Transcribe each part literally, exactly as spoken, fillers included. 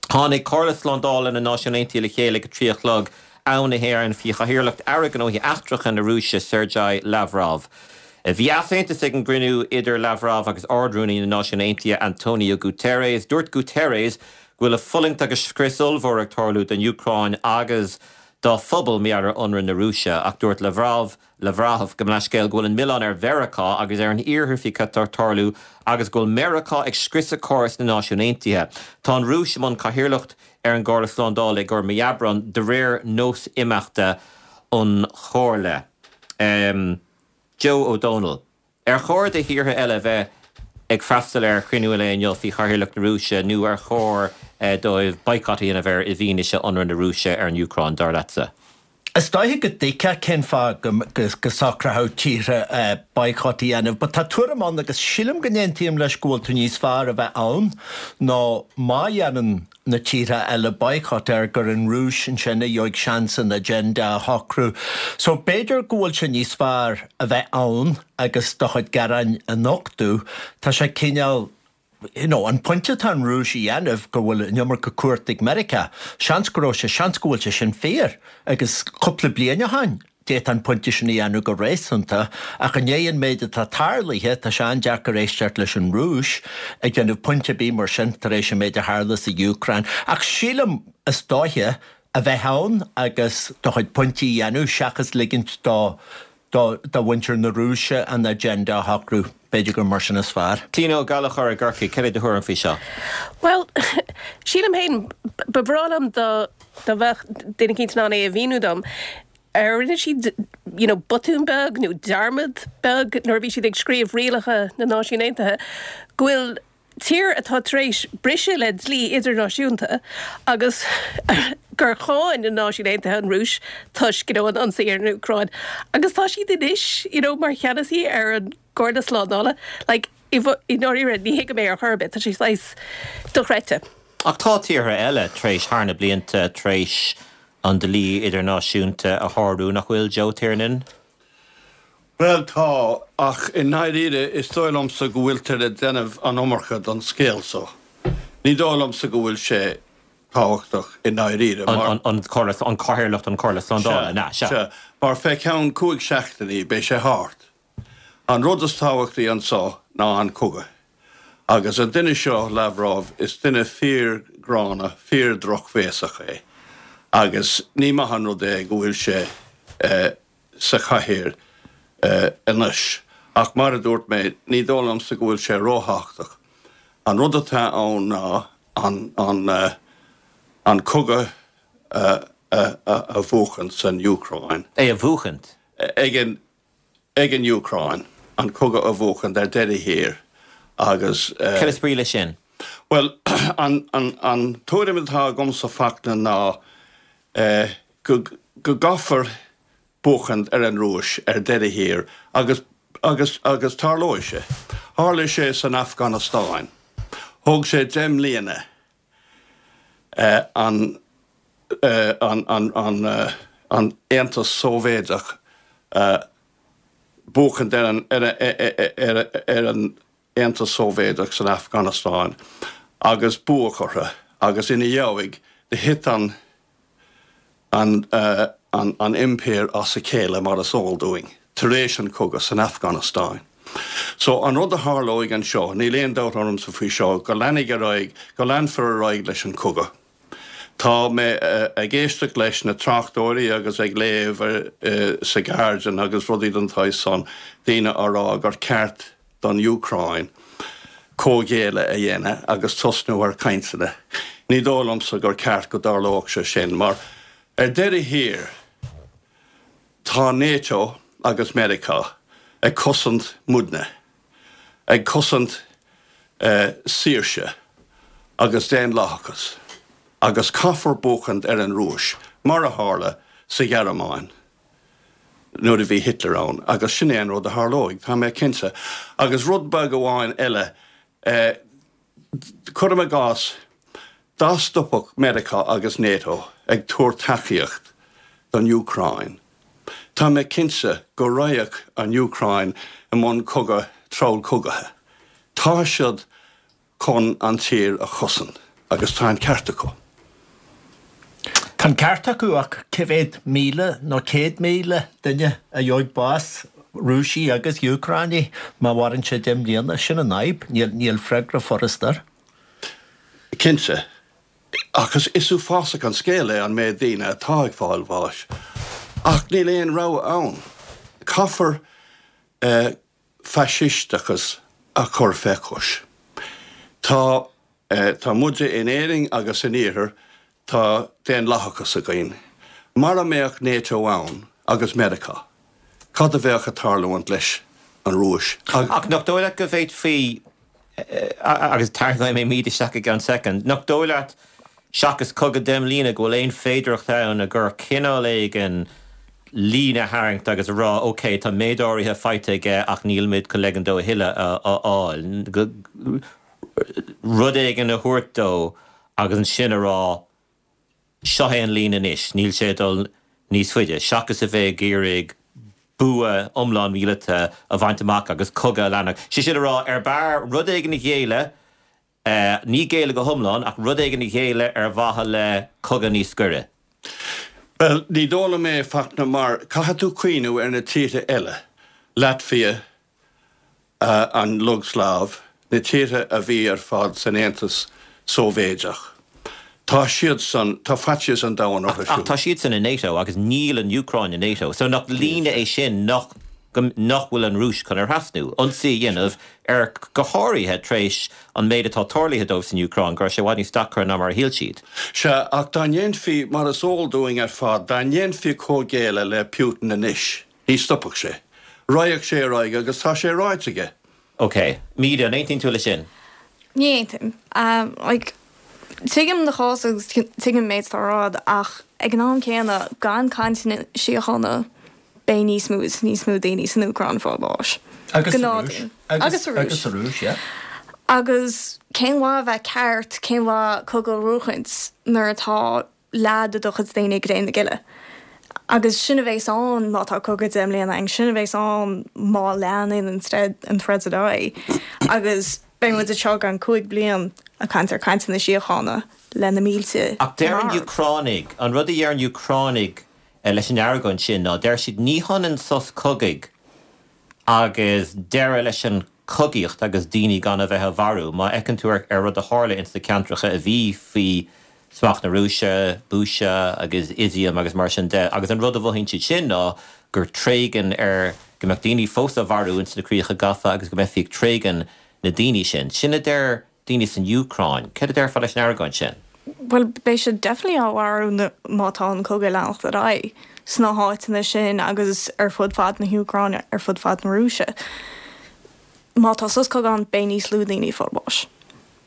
Tháinig Comhairle Slándála na Náisiún Aontaithe le chéile ag a trí a chlog am na hÉireann faoi chathaoirleacht Aire Gnóthaí Eachtracha na Rúise Sergei Lavrov. Bhí easaontas ag an gcruinniú idir Lavrov agus Ard-Rúnaí na Náisiún Aontaithe Antonio Guterres. Dúirt Guterres go bhfuil fulaingt agus scrios ollmhór ag tarlú don Úcráin agus dá phobal mar gheall ar ionradh na Rúise ach dúirt Lavrov Lavrov gabh mo leithscéal go bhfuil an milleán ar Mheiriceá agus ar an iarthar faoi cad atá ag tarlú agus go bhfuil Meiriceá ag scriosadh córas na Náisiún Aontaithe. Tá an Rúis i mbun cathaoirleacht ar an gComhairle Slándála i gcomhair mí Aibreáin de réir nós imeachta an Chomhairle. Um, Joe O'Donnell. Ar chóir do thíortha eile bheith ag freastal ar chruinniú eile inniu faoi chathaoirleacht na Rúise nó ar chóir eh, dóibh boycott a dhéanamh air i bhfianaise ionradh na Rúise ar an Úcráin dar leatsa. Is dóiche go dtuigfeá cén fáth go, go, go socródh tíortha uh, boycott a dhéanamh, but tá tuairim ann agus sílim go n-aontaím leis go bhfuil tú níos fearr a bheith ann ná má dhéanann na tíortha eile boycott air gur an Rúis ansin a gheobhaidh seans an agenda a shocrú. So b'fhéidir go bhfuil sé níos fearr a bheith ann agus do chuid gearáin a nochtadh, Tá sé cineál you know, an pointe atá an Rúis a dhéanamh go bhfuil an iomarca cumhacht ag Meiriceá, seans go raibh sé seans go bhfuil sé sin fíor agus cúpla bliain ó shin. D'fhéadfá an pointe sin a dhéanamh go réasúnta ach i ndiaidh an méid atá tarlaithe tá sé an-deacair éisteacht leis an Rúis ag déanamh pointe bí mar sin tar éis an méid a tharla sa Úcráin. Ach sílim is dóiche a bheith ann agus do chuid pointí a dhéanamh seachas ligint do do do mhuintir na Rúise an agenda a shocrú b'fhéidir gur mar sin is fearr. Tino Gallachar i gCorcaigh cad é do thuairim faoi seo. Well, sílim féin ba bhreá liom dá dá bheadh duine éicint in ann é a mhíniú dom. Ar rinne siad you know, botún beag nó dearmad beag nuair a bhí siad ag scríobh rialacha na Náisiún Aontaithe, go bhfuil tír atá tar éis briseadh le dlí idirnáisiúnta agus gur cháin na Náisiúin Aontaithe an Rúis toisc you know, an ionsaí ar an Úcráin. Agus tá siad anois you know, mar cheannasaí ar an gComhairle Slándála, like, i ndáiríre ní thuigim é ar chor ar bith, tá sé saghas dochreidte. Ach tá tíortha eile tar éis thar na blianta tar éis an dlí idirnáisiúnta a shárú nach bhfuil Joe Tiernan? Well tá ach i ndáiríre is dóigh liomsa go bhfuiltear ag déanamh an iomarca den scéal so. Ní dóigh liomsa go bhfuil sé tábhachtach i ndáiríre an an cathaoirleacht an Chomhairle Slándála na se. Mar fé ceann cúig seachtainí beidh sé thart. An rud is tábhachtaí anseo ná an cogadh. Agus an duine seo Lavrov is duine fíorghránna fíordhrochbhéasach é. Agus ní maith an rud é go bhfuil sé eh, sa chathaoir uh, anois. Ach mar a dúirt mé ní dóigh liomsa go bhfuil sé róthábhachtach. An rud atá ann ná an, an, uh, an cogadh uh, uh, uh, a bhuachan san Úcráin. É a bhuachaint? Ag an, ag an Úcráin an cogadh a bhuachan ar deireadh thiar agus uh, Cad is brí leis sin? Well an, an, an tuairim atá agamsa Fachtna ná uh, go, go gcaithfear buachan ar an Rúis ar deireadh thiar agus agus agus tarlóidh sé. Tharla sé san Afganastáin. Thóg sé deich mbliana uh, an, uh, an, an, an, uh, an Aontas Sóivéadach uh, buachan ar an, ar, ar, ar, ar an Aontas Sóivéadach san Afganastáin agus buadh orthu agus ina dhiaidh do thit an an, uh, an, an impire as a chéile mar is eol dúinn, tar éis an cogadh san Afganastáin. So an rud a tharlóidh anseo, níl aon dabht ormsa faoi seo, go leanfaidh ar aghaidh, go leanfar ar aghaidh leis an cogadh. Tá mé uh, ag éisteacht leis na tráchtairí agus ag léamh uh, sa Guardian agus rudaí den tsaghas san daoine á rá gur ceart don Úcráin comhghéilleadh a dhéanamh agus tosnú ar cainteanna. Ní dóigh liomsa gur ceart go dtarlódh sé sin, mar ar deireadh thiar tá NATO agus Meiriceá ag cosaint muidne, ag cosaint uh, saoirse agus daonlathachas, agus caithfear buachan ar an Rúis, mar a tharla sa Ghearmáin nuair a bhí Hitler ann, agus sin é an rud a tharlóidh, Tá mé cinnte. Agus rud beag amháin eile uh, cuirim i gcás dá stopfadh Meiriceá agus NATO ag tabhairt tacaíocht don Úcráin. Tá mé cinnte go raghadh an Úcráin i mbun cogadh treallchogaithe. Tá siad chun an tír a chosaint. Agus tá an ceart acu. Tá an ceart acu ach cé mhéad míle nó céad míle duine a gheobhaidh bás, Rúisigh agus Úcránaigh, má mhaireann sé deich mbliana? Sin an fhadhb, níl freagra furasta air. Cinnte. Ach is uafásach an scéal é an méid daoine atá ag fáil bháis. Ach níl aon rogha ann. Caithfear faisisteachas a chur fé chois. Tá tá muide in Éirinn agus san Iarthar, tá daonlathachas againn. Mara mbeadh NATO ann agus Meiriceá, cad a bheadh ag tarlúint leis an Rúis? Ach nach dóigh leat go bhféadfaí, agus tarraingeoidh mé Míde isteach i gceann soicind, nach dóigh leat seachas cogadh deich mbliana go bhfuil aon féidearthacht ann gur cineál éigin líne a tharraingt agus a rá ok, tá méid áirithe faighte aige ach nílimid chun ligean dó a thuilleadh a fháil, rud éigin a thabhairt dó agus ansin a rá seo é an líne anois, níl sé ag dul níos faide, seachas a bheith ag iarraidh bua iomlán míleata a bhaint amach agus cogadh a leanacht. Sé sin a rá, ar b'fhearr rud éigin a ghéilleadh, ní géilleadh go hiomlán, ach rud éigin a ghéilleadh ar mhaithe le cogadh níos gaire. Bhuel, ní dóigh liom é, Fachtna, mar caithfidh tú cuimhniú ar na tíortha eile, Laitvia, an Iúgslaiv, na tíortha a bhí ar fad san Aontas Sóivéadach. Tá siadsan, tá faitíos an domhain orthu siúd. Ach tá siadsan i NATO agus níl an Úcráin i NATO. So nach líne é sin nach nach bhfuil an Rúis chun a thrasnú, ionsaí a dhéanamh ar, go háirithe tar éis an méid atá tarlaithe dóibh san Úcráin, go raibh sé i bhfad níos deacra ná mar a shíl siad. Sea, ach dá ndéanfaí, mar is eol dúinn ar fad, dá ndéanfaí comhghéilleadh le Putin anois, ní stopfadh sé. Raghadh sé ar aghaidh agus tá sé ráite aige. Ok. Míde, an aontaíonn tú leis sin? Ní aontaím. Like, tuigim do chás agus tuigim an méid atá á rá ach ag an am céanna, gan cainteanna síochána, beidh níos mó is níos mó daoine san Úcráin ag fáil bháis. Agus sa Rúis. Agus sa Rúis. Agus sa Rúis, yeah. Agus cén mhaith a bheith ceart, cén mhaith cogadh a bhuachaint nuair atá leath de do chuid daoine ag cré na cille? Agus sin a bheas ann má tá cogadh deich mbliana ann, sin a bheas ann má leanann an troid ar aghaidh. Agus beidh muid anseo i gceann cúig bliain ag caint ar cainteanna síochána le na mílte Ach deir an marbh. Úcránaigh, an rud a deir an Úcránaigh leis an argóint sin ná, deir siad, ní hionann sos cogaidh agus deireadh leis an chogaíocht agus daoine gan a bheith á mharú. Má fheiceann tú ar rud a tharla ins na ceantracha a bhí faoi smacht na Rúise, Bucha agus Izium agus mar sin de, agus an rud a mhothaíonn siad sin ná gur tréigean ar, go mbeadh daoine fós á mharú ins na críocha gafa agus go mbeifí ag tréigean na daoine sin. Sin a deir daoine san Úcráin. Céard a déarfá leis an argóint sin? Bhuel, beidh siad definitely á mharú má tá an cogadh ag leanacht ar aghaidh sna háiteanna sin agus ar fud fad na hÚcráine, ar fud fad na Rúise. Má tá sos cogaidh ann, beidh níos lú daoine ag fáil bháis.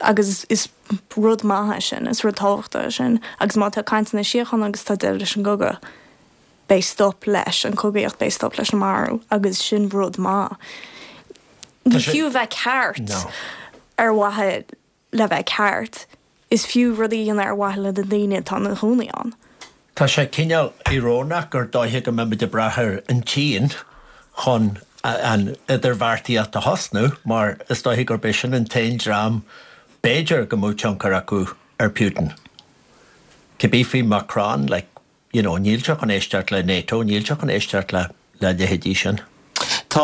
Agus is rud maith é sin, is rud tábhachtach é sin. Agus má tá cainteanna síochána agus tá deireadh leis an gcogadh, beidh stop leis an chogaíocht, beidh stop leis an marú agus sin rud maith. Ní fiú a bheith ceart ar mhaithe le bheith ceart, is fiú rudaí a dhéanamh ar mhaithe le na daoine atá ina gcónaí ann. Tá sé cineál íorónach gur dóiche go mbeimid ag brath ar an tSín chun an idirbheartaíocht a thosnú mar is dóiche gurb é sin an t-aon dream b'fhéidir go mbeadh tionchar acu ar Putin. Cibé faoi Macron, like, you know, níl sé chun éisteacht le NATO, níl sé chun éisteacht le le leithéidí sin. Tá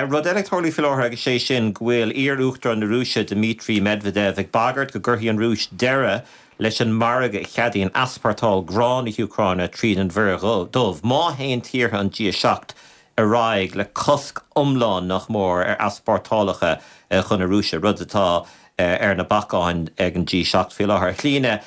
rud eile ag tarlú faoi láthair agus sé sin go bhfuil iar-Uachtarán na Rúise Dmitry Medvedev ag bagairt go gcuirfidh an Rúis deireadh leis an margadh a cheadaíonn easpórtáil grán na hÚcráine tríd an Mhuir Dhubh má théann tíortha an G a seacht ar aghaidh le cosc iomlán nach mór ar easpórtálacha chun na Rúise, rud atá ar na bacáin ag an G seacht faoi láthair. A Chlíona,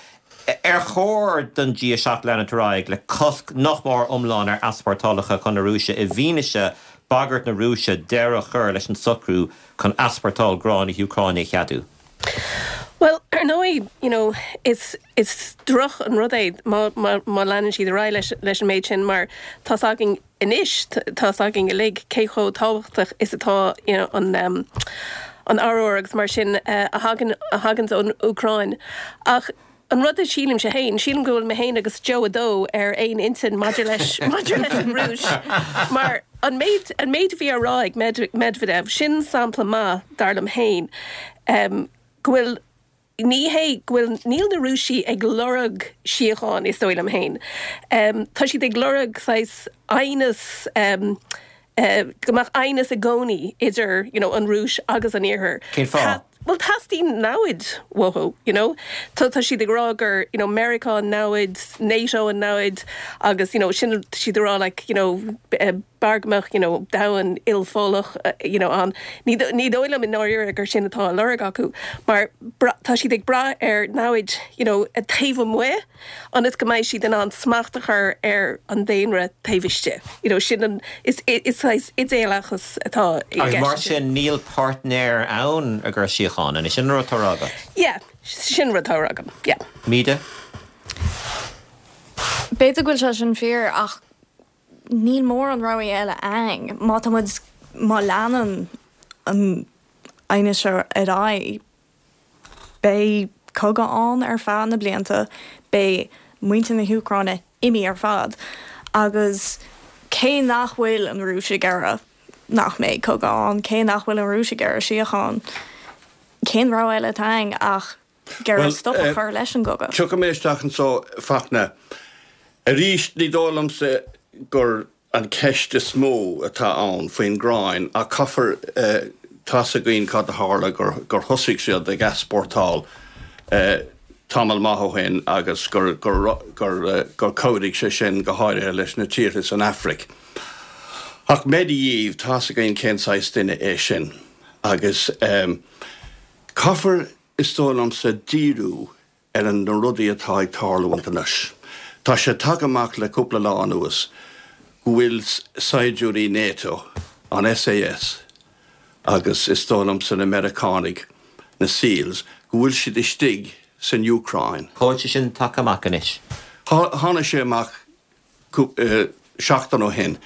ar chóir don G a seacht leanúint ar aghaidh le cosc nach mór iomlán ar easpórtálacha chun na Rúise i bhfianaise bagairt na Rúise deireadh a chur leis an socrú chun easpórtáil grán na hÚcráine a cheadú? Bhuel, ar ndóigh, you know, is is droch an rud é má má má leanann siad ar aghaidh leis leis an méid sin mar tá's againn anois, tá's againn uilig cé chomh tábhachtach is atá, you know, an um, an arbhar agus mar sin a thagann a thaganns ón Úcráin. Ach an rud a sílimse féin, sílim go bhfuil mé féin agus Joe a dó ar aon intinn maidir leis maidir leis an Rúis mar an méid an méid a bhí á rá ag Medvedev, sin sampla maith, dar liom féin, um, go bhfuil ní hé go bhfuil níl na Rúisigh ag lorg síocháin is dóigh liom féin. Um, tá siad ag lorg saghas aighneas um, uh, go mbeadh aighneas i gcónaí idir you know, an Rúis agus an Iarthar. Cén fáth? Well teastaíonn namhaid uathu, you know? Tá tá siad ag rá gur you know, Meiriceá an namhaid, NATO an namhaid agus you know, sin siad rá like, you know, eh, b'fhearr go mbeadh you know, domhan ilpholach uh, you know, an ní ní dóigh liom i ndáiríre gur sin atá á lorg acu mar tá siad ag brath ar namhaid you know, a taobh amuigh ionas go mbeidh siad in ann smacht a chur ar an daonra taobh istigh. You know, sin an is is is idéalachas atá Agus mar sin níl páirtnéir ann a gur síocháin an sin rud atá á rá agat. Yeah, sin rud atá á rá agam. Yeah. Míde? B'fhéidir go bhfuil sé sin fíor ach níl mórán rogha eile ann má tá muid má leanann an aighneas seo ar aghaidh beidh cogadh ann ar feadh na blianta beidh muintir na hÚcráine imithe ar fad agus cé nach bhfuil an Rúis ag iarraidh nach mbeidh cogadh ann cé nach bhfuil an Rúis ag iarraidh síocháin cén rogha eile atá ann ach gur stop a chur leis an gcogadh. Tiocfaidh mé isteach anseo Fachtna. Arís ní dóigh liomsa gur an ceist is mó atá ann faoin gráin ach caithfear tá's againn cad a tharla gur gur thosaigh siad ag easpórtáil tamall maith ó shin agus gur gur gur gur chabhraigh sé sin go háirithe leis na tíortha san Afraic. Ach Medvedev tá's againn cén saghas duine é sin agus um, caithfear is dóigh liomsa díriú ar an na rudaí atá ag tarlú anois. Tá sé tagtha amach le cúpla lá anuas go bhfuil saighdiúirí NATO an SAS agus is dóigh liomsa na Meiriceánaigh na SEALs go bhfuil siad istigh san Úcráin. Cá bhfuil sé sin tagtha amach anois. Tháinig sé amach seachtain ó shin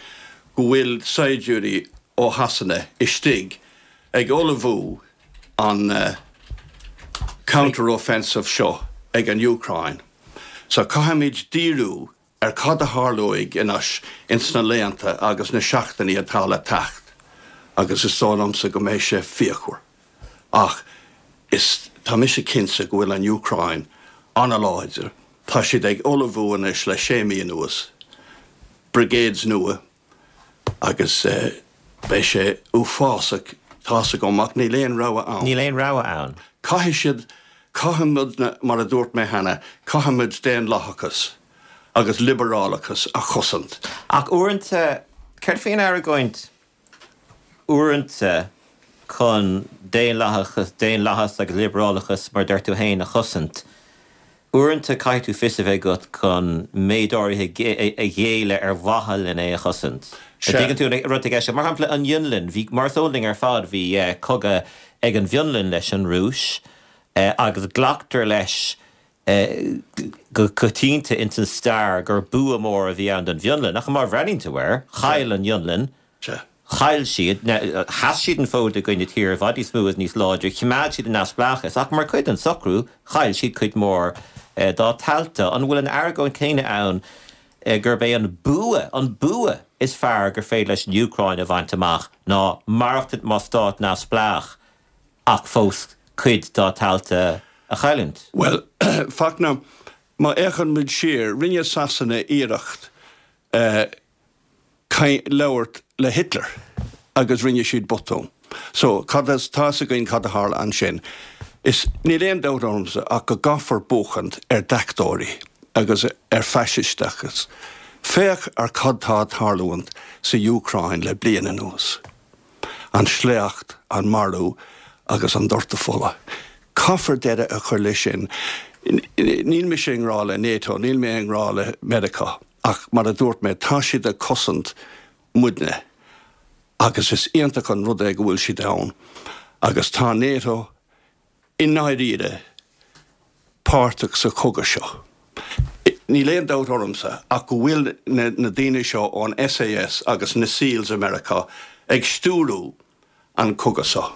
go bhfuil saighdiúirí ó Shasana istigh ag ullmhú an uh, counter-offensive seo ag an Úcráin. So caithfimid díriú ar cad a tharlóidh anois ins na laethanta agus na seachtainí atá le teacht, agus is dóigh liomsa go mbeidh sé fíochmhar. Ach is tá mise cinnte go bhfuil an Úcráin an-láidir, Tá siad ag ullmhú anois le sé mí anuas, brigades nua agus uh, beidh sé uafásach tá's agam ach níl aon rogha ann. Níl aon rogha ann. Caithfidh siad caithfimid mar a dúirt mé cheana, caithfimid daonlathachas agus liobrálachas a chosaint. Ach uaireanta céard faoin argóint uaireanta chun daonlathachas daonlathas agus liobrálachas mar deir tú féin a chosaint. Uaireanta caithfidh tú fios a bheith agat chun méid áirithe a ghéilleadh ar mhaithe lena é a chosaint. Tuigeann tú rud aige mar shampla an Fhionlainn, bhí mar sóling ar fad bhí cogadh ag an bhFionlainn leis an Rúis agus glactar leis go coitianta in san stair gur bua mór a bhí ann don Fhionlainn, ach má bhreathnaíonn tú air, chaill an Fhionlainn, chaill siad, sheas siad an fód i gcoinne tír i bhfad níos mó is níos láidre, choimeád siad a neamhspleáchas, ach mar chuid den socrú, chaill siad cuid mhór dá dtailte. An bhfuil an argóint céanna ann gurb é an bua, an bua is fearr gur féidir leis an Úcráin a bhaint amach ná maireachtaint mar stát neamhspleách ach fós cuid dá tailte a chailliúint? Well, Fachtna, má fhéachann muid siar, rinne Sasana iarracht uh, labhairt le Hitler agus rinne siad botún. So cad tá's againn cad a tharla ansin. Is níl aon dabht ormsa ach go gcaithfear buachaint ar deachtóirí agus ar faisisteachas. Féach ar cad tá ag tarlúint sa Úcráin le bliain anuas. An sléacht, an marú agus an doirteadh fola. Caithfear deireadh a chur leis sin. Níl mé i ngrá le NATO, níl mé i ngrá le Meiriceá, ach mar a dúirt mé tá siad ag cosaint muidne. Agus is iontach an rud é go bhfuil siad ann. Agus tá NATO i ndáiríre páirteach sa chogadh seo. Níl aon dabht ormsa ach go bhfuil na, na daoine seo ón SAS agus na SEALs America ag stiúradh an cogadh seo.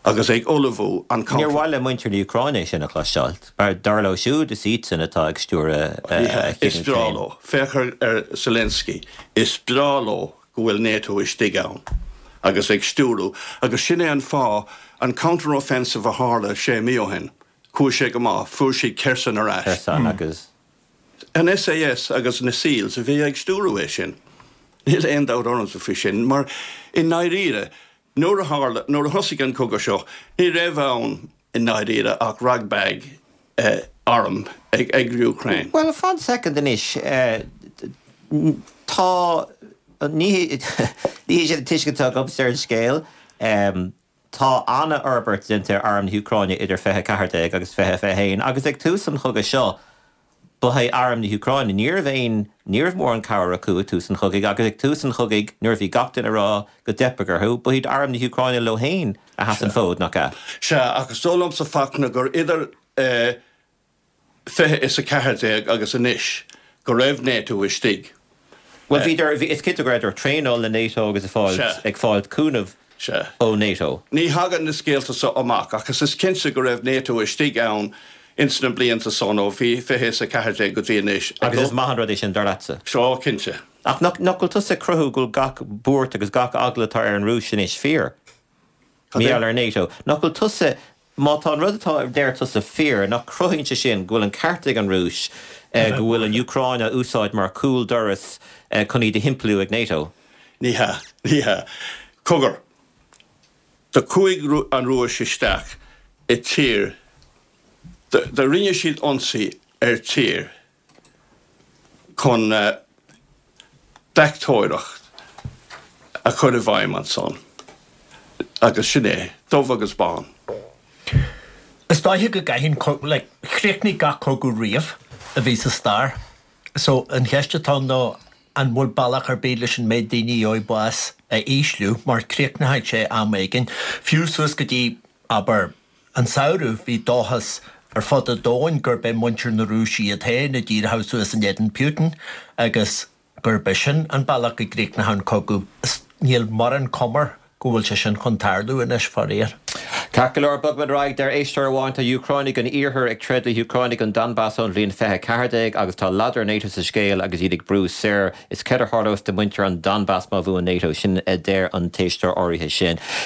agus ag ullmhú an Níor mhaith le muintir na Úcráine sin a chloisteáil, mar dar leo siúd is iadsan atá ag stiúradh Is breá leo, féach ar Zelensky, is breá leo go bhfuil NATO istigh ann agus ag stiúradh, agus sin é an fáth an counter-offensive a tharla sé mí ó shin, Chuaigh sé go maith, fuair siad Kherson ar ais. Kherson agus. An SAS agus na SEALs a bhí ag stiúradh é sin. Níl aon dabht ormsa faoi sin, mar i ndáiríre, nuair a tharla, nuair a thosaigh an cogadh seo, ní raibh ann i ndáiríre ach ragbag arm ag ag Ukraine. Bhuel, fan soicind anois, tá, ní ní hé sin an tuiscint atá agamsa ar an scéal. Tá an-fhorbairt déanta ar arm na hÚcráine idir fiche a ceathair déag agus fiche fiche haon agus ag tús an chogaidh seo, ba é arm na hÚcráine, ní raibh aon, ní raibh mórán cabhair acu ag tús an chogaidh agus ag tús an chogaidh nuair a bhí gach duine ag rá go dteipfeadh orthu, ba iad arm na hÚcráine leo féin a sheas an fód, nach ea? Sea, ach is dóigh liomsa Fachtna gur idir fiche is a ceathair déag agus anois go raibh NATO istigh. Bhuel, bhíodar, is cinnte go rabhadar ag traenáil le NATO agus ag fáil, ag fáil cúnamh ó NATO. Ní thagann na scéalta so amach ach is cinnte go raibh NATO istigh ann ins na blianta san ó fiche is a ceathair déag go dtí anois. Agus is maith an rud é sin, dar leatsa? Sea, cinnte. Ach nach bhfuil tusa ag cruthú go bhfuil gach buairt agus gach eagla atá ar an Rúis anois fíor? Mar gheall ar NATO. Nach bhfuil tusa, má tá an rud atá a deir tusa fíor, nach cruthaíonn sé sin go bhfuil an ceart ag an Rúis go bhfuil an Úcráin á úsáid mar chúl doras chun iad a shimpliú ag NATO? Ní hea. Ní hea. Cogar. Do chuaigh an Rúis isteach i tír, do rinne siad ionsaí ar tír chun deachtóireacht a chur i bhfeidhm ansan. Agus sin é, dubh agus bán. Is dóiche go gcaithfidh, like, chríochnaigh gach cogadh riamh a bhí sa stair. So, an cheist atá ann ná an bhfuil bealach ar bith leis an méid daoine a gheobhaidh bás a ísliú, mar críochnóidh sé am éigin. Fiú suas go dtí, abair, an samhradh, bhí dóchas ar fud an domhain gurb é muintir na Rúise iad féin a d'éireodh suas in éadan Putin agus gurb é sin an bealach go gcríochnódh an cogadh. Níl mórán cuma air go bhfuil sé sin chun tarlú anois, faraor. Ceart go leor, bogfaimid ar aghaidh. Deir éisteoir amháin, Tá Úcránaigh an Iarthair ag troid le hÚcránaigh an Donbas ón bhliain fiche a ceathair déag agus tá ladar NATO sa scéal agus iad ag brú soir. Is céard a tharlós do mhuintir an Donbas má bhuann NATO? Sin a deir an t-éisteoir áirithe sin.